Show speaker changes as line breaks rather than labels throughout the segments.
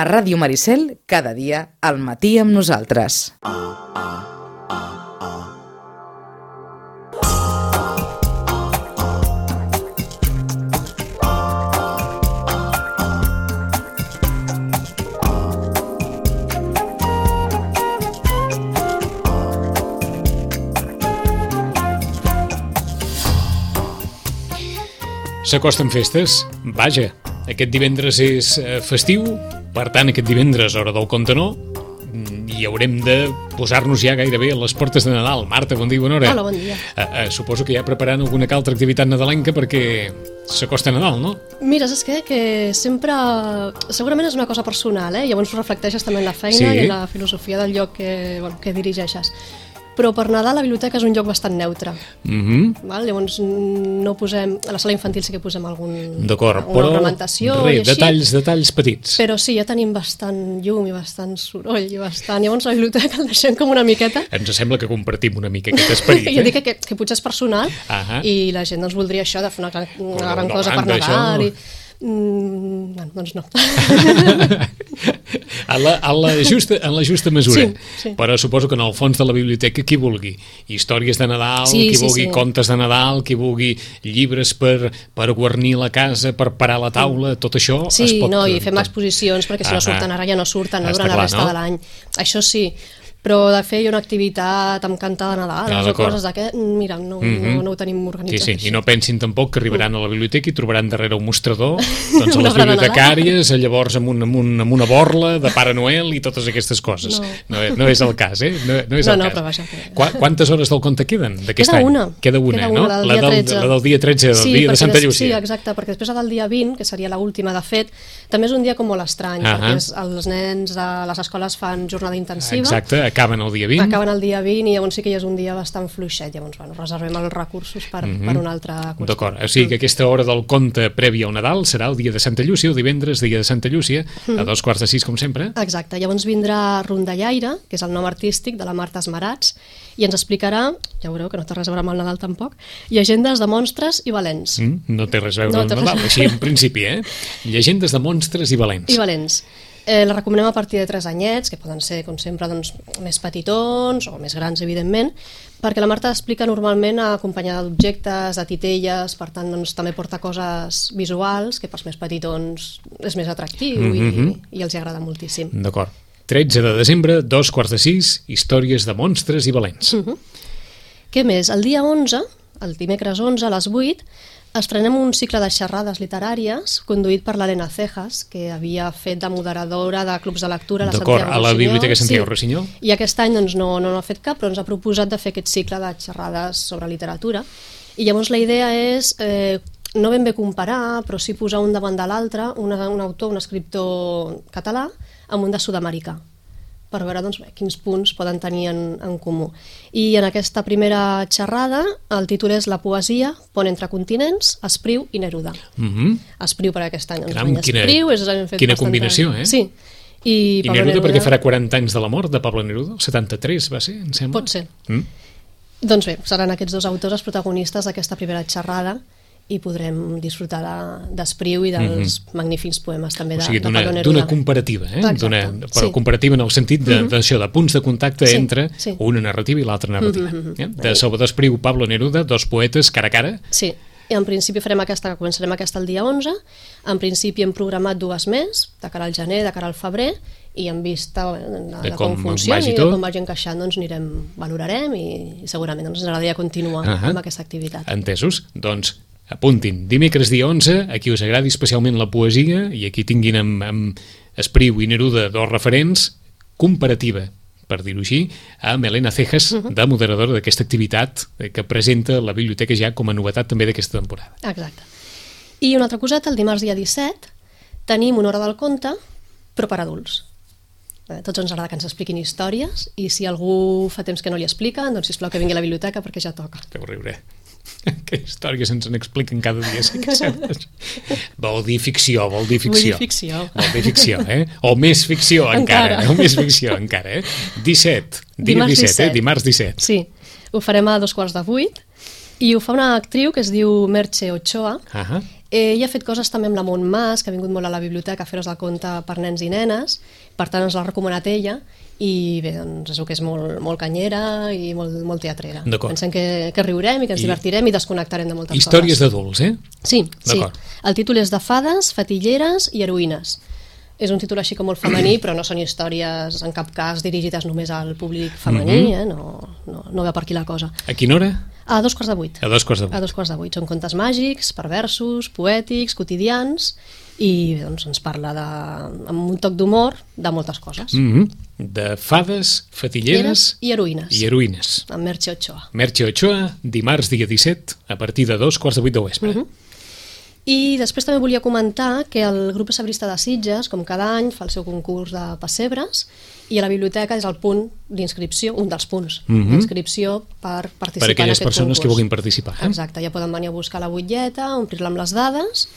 A Ràdio Maricel, cada dia, al matí amb nosaltres.
S'acosten festes? Vaja, aquest divendres és festiu, per tant aquest divendres, hora del conte no, i haurem de posar-nos ja gairebé a les portes de Nadal. Marta, bon dia i bona hora.
Hola, bon dia.
Suposo que ja preparant alguna altra activitat nadalenca perquè s'acosta Nadal, no?
Mira, saps què? Que sempre... Segurament és una cosa personal, llavors ho reflecteixes també en la feina i en la filosofia del lloc que dirigeixes. Però per Nadal la biblioteca és un lloc bastant neutre. Val? Llavors no posem... A la sala infantil sí que posem alguna ornamentació i així.
Detalls petits.
Però sí, ja tenim bastant llum i bastant soroll i bastant... Llavors la biblioteca el deixem com una miqueta.
Ens sembla que compartim una mica aquest esperit.
Jo dic que potser és personal i la gent voldria això de fer una gran cosa per Nadal i... doncs no.
En la justa mesura.
Sí.
Però suposo que en el fons de la biblioteca qui vulgui històries de Nadal, qui vulgui contes de Nadal, qui vulgui llibres per guarnir la casa, per parar la taula, tot això es pot...
Sí, i fem exposicions perquè si no surten ara ja no surten durant la resta de l'any. Això sí, però de fer una activitat amb cantar de Nadal o coses d'aquest, mira, no ho tenim organitzat.
Sí, i no pensin tampoc que arribaran a la biblioteca i trobaran darrere un mostrador doncs a les bibliotecàries, llavors amb una borla de Pare Noel i totes aquestes coses. No és el cas, No és el cas.
Però vaja.
Quantes hores del conte queden d'aquest any? Queda una, no?
La
del dia 13, del dia de Santa Llúcia.
Sí, exacte, perquè després del dia 20, que seria l'última de fet, també és un dia com molt estrany, perquè els nens a les escoles fan jornada intensiva.
Exacte, acaben el dia 20.
Acaben el dia 20 i llavors sí que és un dia bastant fluixet, llavors reservem els recursos per un altre curs.
D'acord, o sigui que aquesta hora del conte prèvia al Nadal serà el dia de Santa Llúcia, el divendres, dia de Santa Llúcia, a 5:45 com sempre.
Exacte, llavors vindrà Rondallaire, que és el nom artístic de la Marta Esmerats, i ens explicarà, ja veureu que no té res a veure amb el Nadal tampoc, llegendes de monstres i valents.
No té res a veure amb el Nadal, així en principi, Llegendes de monstres i valents.
I valents. La recomanem a partir de 3 anyets, que poden ser, com sempre, més petitons o més grans, evidentment, perquè la Marta explica normalment acompanyada d'objectes, de titelles, per tant també porta coses visuals, que pels més petitons és més atractiu i els agrada moltíssim.
D'acord. 13 de desembre, 5:45, històries de monstres i valents.
Què més? El dia 11, el dimecres 11, a les 8, estrenem un cicle de xerrades literàries conduït per l'Helena Cejas, que havia fet de moderadora de clubs de lectura a la Santiago Rossinyol.
D'acord, a la Biblioteca Santiago Rossinyol.
I aquest any no ha fet cap, però ens ha proposat de fer aquest cicle de xerrades sobre literatura. I llavors la idea és no ben bé comparar, però sí posar un davant de l'altre, un autor, un escriptor català, amb un de sud-americà, per veure quins punts poden tenir en comú. I en aquesta primera xerrada el títol és La poesia, pont entre continents, Espriu i Neruda. Espriu per aquest any.
Quina combinació,
Sí.
I Neruda perquè farà 40 anys de la mort de Pablo Neruda? El 73 va ser, em sembla?
Pot ser. Doncs bé, seran aquests dos autors els protagonistes d'aquesta primera xerrada i podrem disfrutar d'Espriu i dels magnífics poemes també de Pablo Neruda.
D'una comparativa, però comparativa en el sentit d'això, de punts de contacte entre una narrativa i l'altra narrativa. De Salvador Espriu, Pablo Neruda, dos poetes cara a cara.
Sí, i en principi començarem aquesta el dia 11, en principi hem programat 2 més, de cara al gener, de cara al febrer, i en vista de com funcioni i de com vagi encaixant, valorarem i segurament ens agradaria continuar amb aquesta activitat.
Entesos? Doncs apuntin, dimecres dia 11, a qui us agradi especialment la poesia i aquí tinguin amb Espriu i Neruda dos referents, comparativa, per dir-ho així, amb Helena Cejas, de moderadora d'aquesta activitat que presenta la biblioteca ja com a novetat també d'aquesta temporada.
Exacte. I una altra coseta, el dimarts dia 17 tenim una hora del conte, però per adults. A tots ens agrada que ens expliquin històries i si algú fa temps que no li explica, doncs sisplau que vingui a la biblioteca perquè ja toca.
Deu riure. Que històries ens n'expliquen cada dia, sí que sembles. Vol dir ficció. O més ficció encara. 17, dia 17, dimarts 17.
Sí, ho farem a 7:15 i ho fa una actriu que es diu Merche Ochoa Ell ha fet coses també amb la Montmas, que ha vingut molt a la biblioteca a fer-nos el conte per nens i nenes, per tant ens l'ha recomanat ella, i bé, doncs és que és molt canyera i molt teatrera. Pensem que riurem i que ens divertirem i desconnectarem de moltes coses.
Històries d'adults,
Sí. El títol és de fades, fatilleres i heroïnes. És un títol així com molt femení, però no són històries en cap cas dirigides només al públic femení, no va per aquí la cosa.
A quina hora?
A 7:45.
A 7:45.
A 7:45. Són contes màgics, perversos, poètics, quotidians, i doncs ens parla amb un toc d'humor de moltes coses.
De fades, fatilleres
i heroïnes.
I heroïnes.
Amb Merche Ochoa.
Merche Ochoa, dimarts dia 17, a partir de 7:45 del vespre.
I després també volia comentar que el grup Pessebrista de Sitges, com cada any, fa el seu concurs de pessebres, i a la biblioteca és el punt d'inscripció, un dels punts d'inscripció per participar en aquest concurs.
Per aquelles persones que vulguin participar.
Exacte, ja poden venir a buscar la butlleta, omplir-la amb les dades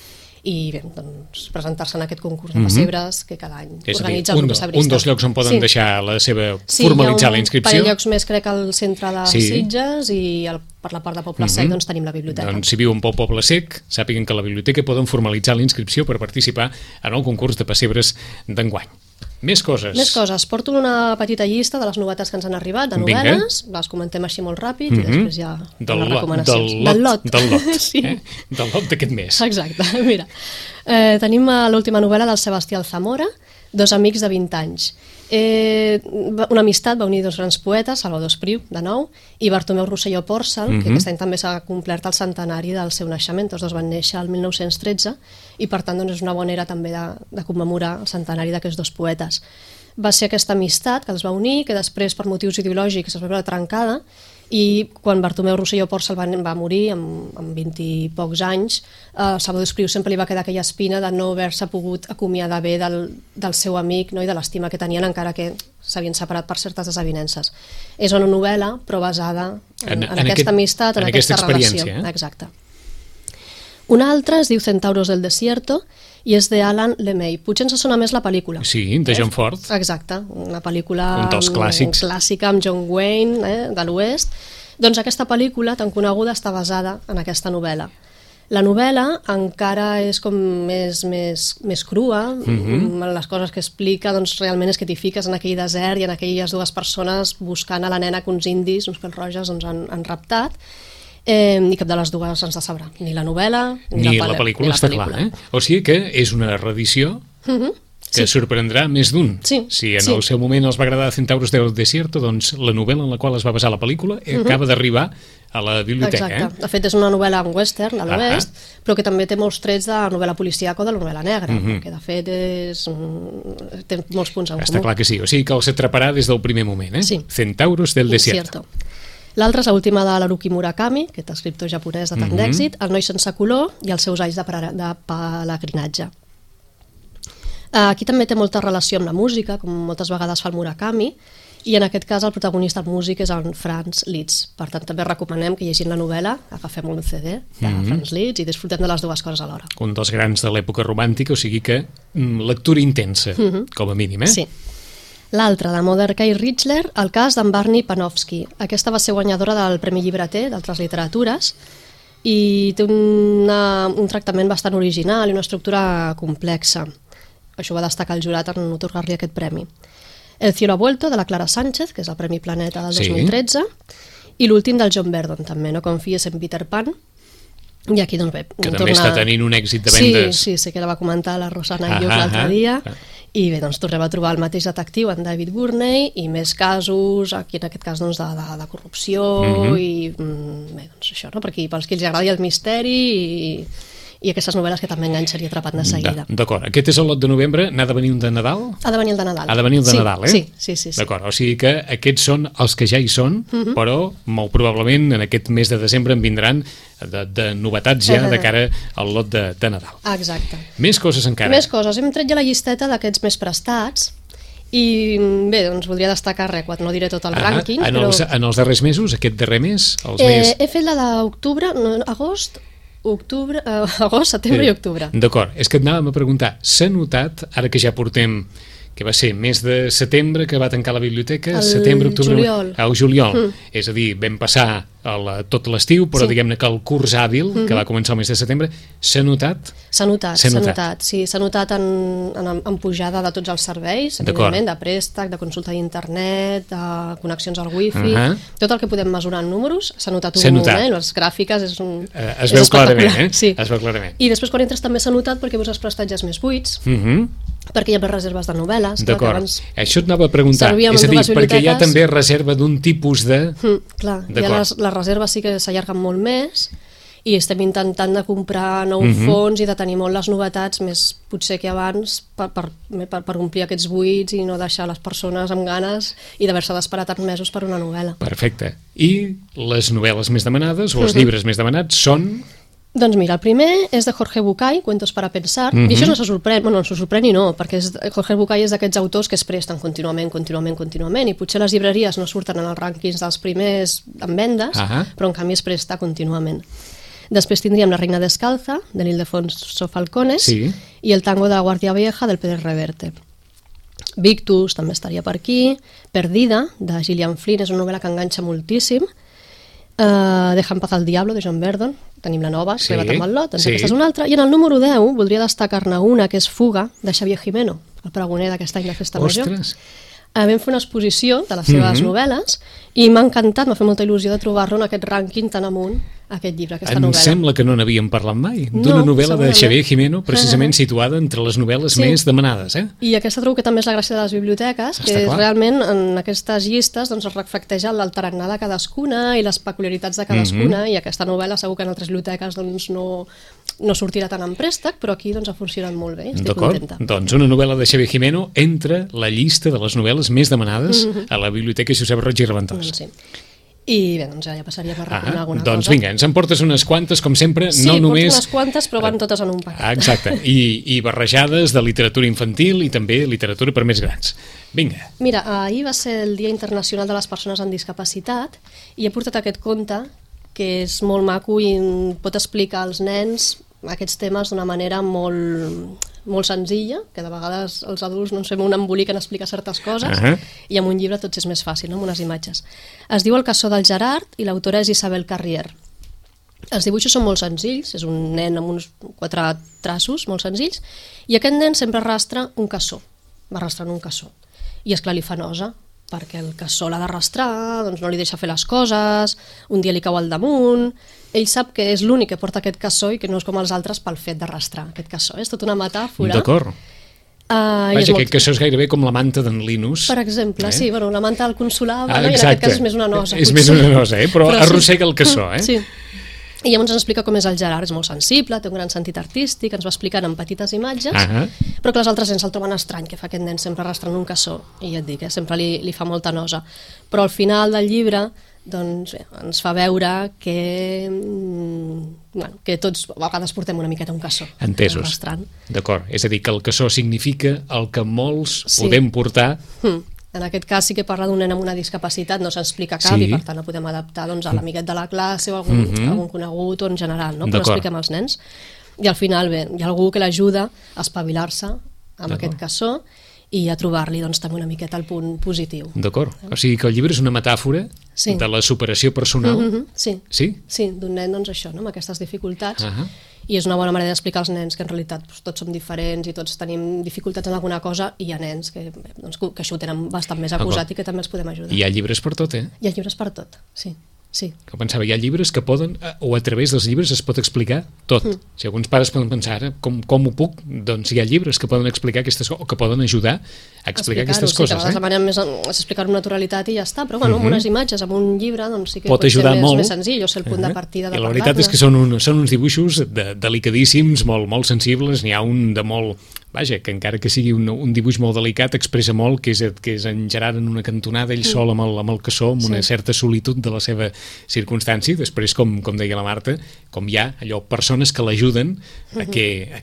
i bé, doncs, presentar-se en aquest concurs de pessebres que cada any organitza el grup Pessebrista.
Un dels llocs on poden deixar la seva, formalitzar la inscripció.
Sí, hi ha un parell de llocs més, crec, al centre de Sitges i per la part de Poble Sec doncs tenim la biblioteca.
Doncs si viuen pel Poble Sec, sàpiguen que a la biblioteca poden formalitzar la inscripció per participar en el concurs de pessebres d'enguany. Més coses.
Porto una petita llista de les novetats que ens han arribat, de novel·les, les comentem així molt ràpid i després ja les recomanacions.
Del lot.
Sí.
Del lot d'aquest mes.
Exacte, mira. Tenim l'última novel·la del Sebastià Alzamora, Dos amics de 20 anys. Una amistat va unir dos grans poetes, Salvador Espriu, de nou, i Bartomeu Rosselló Pòrcel, que aquest any també s'ha complert el centenari del seu naixement. Tots dos van néixer el 1913 i per tant doncs, és una bona era també de commemorar el centenari d'aquests dos poetes. Va ser aquesta amistat que els va unir, que després per motius ideològics es va veure trencada, i quan Bartomeu Rosselló Pòrcel va morir amb 20 i pocs anys, Salvador Espriu sempre li va quedar aquella espina de no haver-se pogut acomiadar bé del seu amic, no? I de l'estima que tenien, encara que s'havien separat per certes desavinences. És una novel·la però basada en aquesta amistat, en aquesta relació. Exacte. Una altra es diu Centauros del Desierto i és d'Alan Lemay. Potser ens sona més la pel·lícula.
Sí, de John Ford.
Exacte, una pel·lícula
un dels clàssics.
Clàssica amb John Wayne, de l'Oest. Doncs aquesta pel·lícula tan coneguda està basada en aquesta novel·la. La novel·la encara és com més crua, les coses que explica doncs, realment és que t'hi fiques en aquell desert i en aquelles dues persones buscant a la nena que uns indis, uns pèl-roges, doncs, han raptat. I cap de les dues ens decebrà, ni la novel·la
ni la pel·lícula, està clar. O sigui que és una reedició que sorprendrà més d'un. Si en el seu moment els va agradar Centauros del Desierto, doncs la novel·la en la qual es va basar la pel·lícula acaba d'arribar a la biblioteca.
Exacte. De fet, és una novel·la en western, a l'oest, però que també té molts trets de novel·la policíaca o de la novel·la negra, perquè de fet té molts punts en comú.
Està clar que sí, o sigui que els atraparà des del primer moment. Centauros del Desierto.
L'altra és l'última de l'Haruki Murakami, aquest escriptor japonès de tant d'èxit, El noi sense color i els seus anys de pelegrinatge. Aquí també té molta relació amb la música, com moltes vegades fa el Murakami, i en aquest cas el protagonista del músic és en Franz Liszt. Per tant, també recomanem que llegint la novel·la agafem un CD de Franz Liszt i disfrutem de les dues coses alhora.
Un dels grans de l'època romàntica, o sigui que lectura intensa, com a mínim,
Sí. L'altra, de Mordecai Richler, el cas d'en Barney Panofsky. Aquesta va ser guanyadora del Premi Llibreter d'altres literatures i té un tractament bastant original i una estructura complexa. Això va destacar el jurat en otorgar-li aquest premi. El cielo ha vuelto, de la Clara Sánchez, que és el Premi Planeta del 2013, i l'últim del John Verdon, també, No confies en Peter Pan. I aquí, doncs bé...
Que també està tenint un èxit de vendes.
Sí, que la va comentar la Rosana Ius l'altre dia. I bé, doncs tornem a trobar el mateix detectiu, en David Gurney, i més casos, aquí en aquest cas doncs, de corrupció, i bé, doncs això, no? Perquè pels que els agradi el misteri i aquestes novel·les que també enganxen i atrapen de seguida.
D'acord, aquest és el lot de novembre, n'ha de venir un de Nadal?
Ha de venir el de Nadal.
Ha de venir el de Nadal,
Sí.
D'acord, o sigui que aquests són els que ja hi són, però molt probablement en aquest mes de desembre en vindran de novetats ja de cara al lot de Nadal.
Exacte.
Més coses encara.
Més coses. Hem tret ja la llisteta d'aquests més prestats i bé, doncs voldria destacar no diré tot el rànquing, però...
En els darrers mesos, aquest darrer mes?
He fet la d'octubre, agost, setembre i octubre.
D'acord, és que et anàvem a preguntar, s'ha notat, ara que ja portem que va ser mes de setembre que va tancar la biblioteca,
El
setembre, octubre...
juliol.
El juliol. És a dir, vam passar tot l'estiu, però diguem-ne que el curs hàbil, que va començar el mes de setembre, s'ha notat?
S'ha notat, sí, s'ha notat en pujada de tots els serveis, evidentment, de préstec, de consulta d'internet, de connexions al wifi, tot el que podem mesurar en números s'ha notat un moment, les gràfiques és
veu clarament,
sí.
Es veu clarament.
I després quan entres també s'ha notat perquè veus els prestatges més buits, perquè hi ha més reserves de novel·les.
D'acord, això et anava a preguntar, és a dir, perquè hi ha també reserva d'un tipus de...
Clar, ja les reserves sí que s'allarguen molt més i estem intentant de comprar nous fons i de tenir molt les novetats més potser que abans per omplir aquests buits i no deixar les persones amb ganes i d'haver-se d'esperar tants mesos per una novel·la.
Perfecte. I les novel·les més demanades o els llibres més demanats són...
Doncs mira, el primer és de Jorge Bucay, Cuentos para pensar, i això no se sorprèn, bueno, no se sorprèn i no, perquè Jorge Bucay és d'aquests autors que es presten contínuament, i potser les llibreries no surten en els rànquings dels primers en vendes, però en canvi es presta contínuament. Després tindríem La reina descalza, de Ildefonso Falcones, i El tango de la Guardia Vieja, del Pérez Reverte. Victus també estaria per aquí, Perdida, de Gillian Flynn, és una novel·la que enganxa moltíssim, Deja en paz al diablo, de John Verdon, tenim la nova, que va amb el lot, doncs aquesta és una altra, i en el número 10 voldria destacar-ne una, que és Fuga, de Xavier Jimeno, el pregoner d'aquest any de Festa Major. Vam fer una exposició de les seves novel·les i m'ha encantat, m'ha fet molta il·lusió de trobar-lo en aquest rànquing tan amunt, aquest llibre, aquesta novel·la.
Em sembla que no n'havíem parlat mai, d'una novel·la de Xavier Jimeno, precisament situada entre les novel·les més demanades.
I aquesta trobo que també és la gràcia de les biblioteques, que realment en aquestes llistes es reflecteja el tarannà de cadascuna i les peculiaritats de cadascuna, i aquesta novel·la segur que en altres biblioteques no sortirà tant en préstec, però aquí ha funcionat molt bé, estic contenta.
Doncs una novel·la de Xavier Jimeno entra la llista de les novel·les més demanades a la Biblioteca Josep Roig i Reventós.
Sí. I bé, doncs ja passaria per recomanar alguna cosa.
Doncs vinga, ens en portes unes quantes, com sempre, no només...
Sí, porto unes quantes, però van totes en un paquet.
Exacte, i barrejades de literatura infantil i també literatura per més grans. Vinga.
Mira, ahir va ser el Dia Internacional de les Persones amb Discapacitat i he portat aquest conte que és molt maco i pot explicar als nens aquests temes d'una manera molt senzilla, que de vegades els adults no ens fem un embolic en explicar certes coses, i amb un llibre tot és més fàcil, amb unes imatges. Es diu El cassó del Gerard i l'autora és Isabel Carrier. Els dibuixos són molt senzills, és un nen amb uns 4 traços molt senzills, i aquest nen sempre arrastra un cassó, va arrastrant un cassó. I esclar, li fa nosa, perquè el cassó l'ha d'arrastrar, doncs no li deixa fer les coses, un dia li cau al damunt, ell sap que és l'únic que porta aquest cassó i que no és com els altres pel fet d'arrastrar aquest cassó. És tota una metàfora.
D'acord. Vaja, aquest cassó és gairebé com la manta d'en Linus.
Per exemple, sí, bueno, la manta del consolable, i en aquest cas és més una nosa.
És més una nosa, però arrossega el cassó,
Sí. I llavors ens explica com és el Gerard, és molt sensible, té un gran sentit artístic, ens va explicant en petites imatges, però que les altres nens el troben estrany, que fa aquest nen sempre arrastrant un cassó, i ja et dic, sempre li fa molta nosa. Però al final del llibre doncs bé, ens fa veure que tots a vegades portem una miqueta un cassó.
Entesos, d'acord. És a dir, que el cassó significa el que molts podem portar.
En aquest cas sí que parla d'un nen amb una discapacitat, no s'explica cap i per tant el podem adaptar a l'amiguet de la classe o algun conegut o en general, però expliquem als nens. I al final bé, hi ha algú que l'ajuda a espavilar-se amb aquest cassó i a trobar-li també una miqueta el punt positiu.
D'acord, o sigui que el llibre és una metàfora de la superació personal.
Sí, d'un nen això, amb aquestes dificultats, i és una bona manera d'explicar als nens que en realitat tots som diferents i tots tenim dificultats en alguna cosa, i hi ha nens que això ho tenen bastant més acusat i que també els podem ajudar.
I hi ha llibres per tot,
Hi ha llibres per tot, sí.
Que pensava, hi ha llibres que poden, o a través dels llibres es pot explicar tot. Si alguns pares poden pensar, ara, com ho puc? Doncs hi ha llibres que poden explicar aquestes coses, o que poden ajudar a explicar aquestes coses.
Sí, que la manera més és explicar amb naturalitat i ja està, però amb unes imatges, amb un llibre, doncs sí que
pot ser més
senzill, o ser el punt de partida de
parlar-ne. I la veritat és que són uns dibuixos delicadíssims, molt sensibles, n'hi ha un de molt... Vaja, que encara que sigui un dibuix molt delicat, expressa molt que és en Gerard en una cantonada, ell sol amb el cassó, amb una certa solitud de la seva circumstància. Després, com deia la Marta, com hi ha persones que l'ajuden a que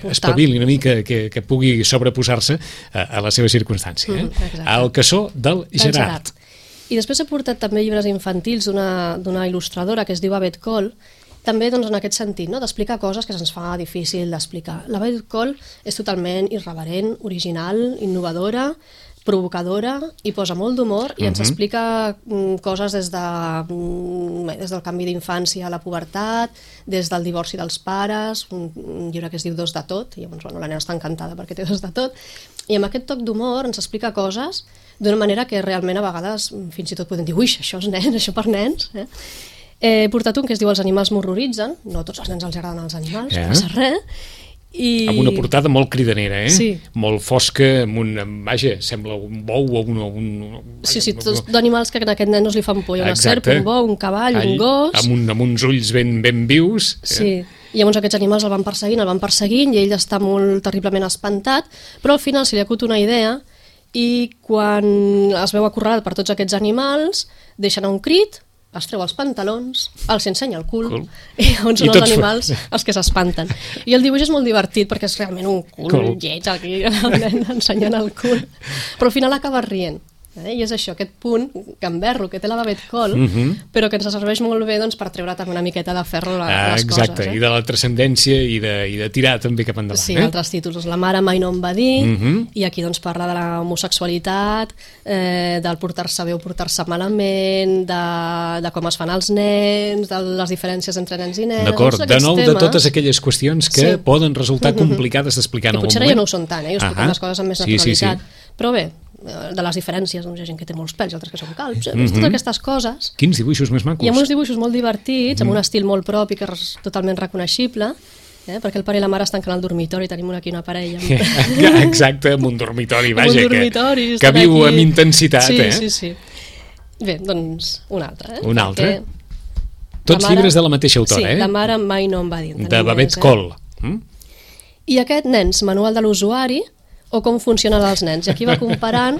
espavili una mica, que pugui sobreposar-se a la seva circumstància. El cassó del Gerard.
I després he portat també llibres infantils d'una il·lustradora que es diu Abet Col, també doncs, en aquest sentit, no? D'explicar coses que se'ns fa difícil d'explicar. La Babette Cole és totalment irreverent, original, innovadora, provocadora i posa molt d'humor i ens explica coses des del canvi d'infància a la pubertat, des del divorci dels pares, un llibre que es diu Dos de tot, i llavors, la nena està encantada perquè té dos de tot, i amb aquest toc d'humor ens explica coses d'una manera que realment a vegades fins i tot podem dir, ui, això és nen, això per nens. He portat un que es diu Els animals m'horroritzen, no a tots els nens els agraden els animals, no passa res,
amb una portada molt cridanera,
Sí.
molt fosca, vaja, sembla un bou o un...
Sí, tots d'animals que a aquest nen no li fan por. Hi ha una serp, un bou, un cavall, un gos...
Amb uns ulls ben vius.
Sí, i llavors aquests animals el van perseguint i ell està molt terriblement espantat, però al final se li acut una idea i quan es veu acorralat per tots aquests animals, deixa anar un crit, es treu els pantalons, els ensenya el cul, i llavors són els animals els que s'espanten. I el dibuix és molt divertit perquè és realment un cul lleig aquí, el nen ensenyant el cul, però al final acaba rient. I és això, aquest punt gamberro que té la Babette Cole, però que ens serveix molt bé doncs, per treure també una miqueta de ferro a les coses.
Exacte, i de la transcendència i de tirar també cap endavant.
Sí, altres títols. La mare mai no em va dir, i aquí doncs, parla de l'homosexualitat, del portar-se bé o portar-se malament, de com es fan els nens, de les diferències entre nens i nens...
D'acord, de nou de totes aquelles qüestions que poden resultar complicades d'explicar en algun moment.
Potser ja no ho són tant, us expliquem les coses amb més naturalitat. Però bé, de les diferències, doncs hi ha gent que té molts pèls i altres que són calbs, totes aquestes coses.
Quins dibuixos més macos.
Hi ha uns dibuixos molt divertits, amb un estil molt propi que és totalment reconeixible, perquè el pare i la mare estan al dormitori, tenim aquí una parella.
Exacte, amb un dormitori, vaja,
que
viu amb intensitat.
Sí. Bé, doncs un altre.
Un altre? Tots llibres de la mateixa autora,
Sí, La mare mai no em va dir.
De Babette Cole.
I aquest Nens, manual de l'usuari, o com funcionen els nens. I aquí va comparant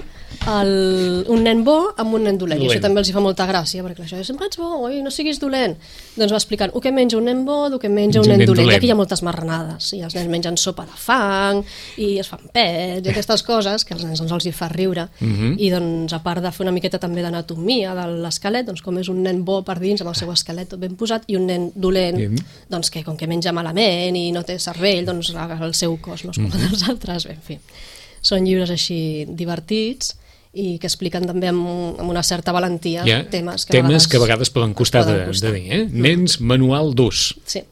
un nen bo amb un nen dolent. I això també els hi fa molta gràcia, perquè això sempre ets bo, oi, no siguis dolent. Doncs va explicant el que menja un nen bo, el que menja un nen dolent. I aquí hi ha moltes marranades. I els nens mengen sopa de fang, i es fan pets, i aquestes coses que als nens els hi fa riure. I doncs, a part de fer una miqueta també d'anatomia de l'esquelet, doncs com és un nen bo per dins, amb el seu esquelet tot ben posat, i un nen dolent, doncs que com que menja malament i no té cervell, doncs el seu cos no és com els altres, bé, en fi. Són llibres així divertits i que expliquen també amb una certa valentia temes que a
vegades poden costar de dir. Nens, manual d'ús.
Sí.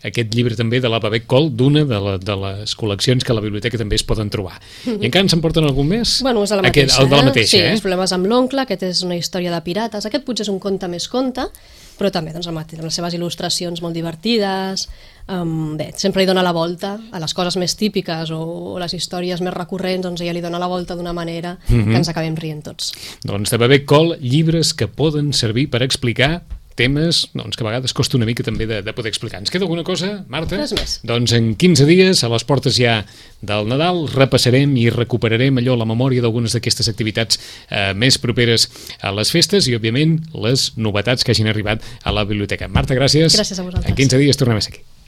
Aquest llibre també de la Babette Cole, d'una de les col·leccions que a la biblioteca també es poden trobar. I encara se'n porten algun més?
Bueno, és de la mateixa.
El de la mateixa,
Sí, els problemes amb l'oncle, aquest és una història de pirates. Aquest potser és un conte més conte, però també doncs, amb les seves il·lustracions molt divertides. Bé, sempre li dona la volta a les coses més típiques o les històries més recurrents, doncs ella li dona la volta d'una manera que ens acabem rient tots.
Doncs de Babette Cole, llibres que poden servir per explicar temes que a vegades costa una mica també de poder explicar. Ens queda alguna cosa, Marta?
Res més.
Doncs en 15 dies, a les portes ja del Nadal, repassarem i recuperarem la memòria d'algunes d'aquestes activitats més properes a les festes i, òbviament, les novetats que hagin arribat a la biblioteca. Marta, gràcies.
Gràcies a vosaltres.
En 15 dies tornem a ser aquí.